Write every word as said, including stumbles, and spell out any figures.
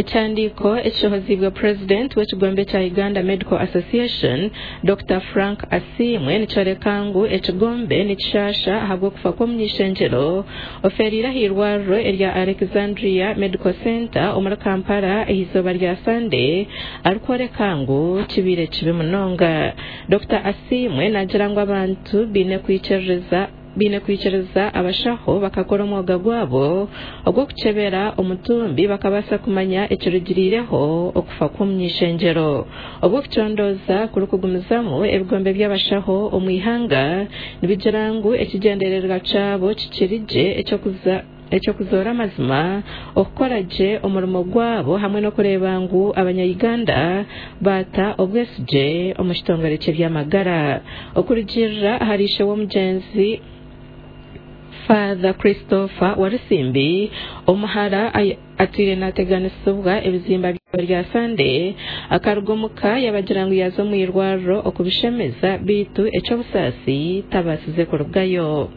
Ekihandiiko ekishohoziibwe Purezidenti w'ekigombe kya Uganda Medical Association, Dokita Frank Asiimwe, nikyoreka ngu ekigombe nikishasha ahabw'okufa kw'omuny'ishengyero ofeeriire ah'eirwariro erya Alexandria Medical Centre omuri Kampala ah'eizooba rya Sande, arikworeka ngu kibaire kibi munonga. Dokita Asiimwe naagira ngu abantu baine kwikiririza baine kwikiriza abashaho bakakora omwoga gwabo ogw'okukyebera omutumbi bakabaasa kumanya ekirugiriireho okufa kw'omuny'ishengyero. Obw'okucondooza kurikugumizamu, ebigombe by'abashaho omu ihanga nibigira ngu ekigyendererwa kyabo kikiri gye eky'okuza eky'okuzoora amazima, okukora gye omurimo gwabo hamwe n'okureeba ngu abanya-Uganda baata obwesigye omu kitongore ky'eby'amagara. Okurugiirira ahari ishe w'omugyenzi Father Christopher Walusimbi, omuhara atwire naateganisibwa ebizimba rya Sande, akaruga omuka yabagira ngu yaaza omu irwariro okubishemeza, beitu eky'obusaasi tabaasize kurugayo.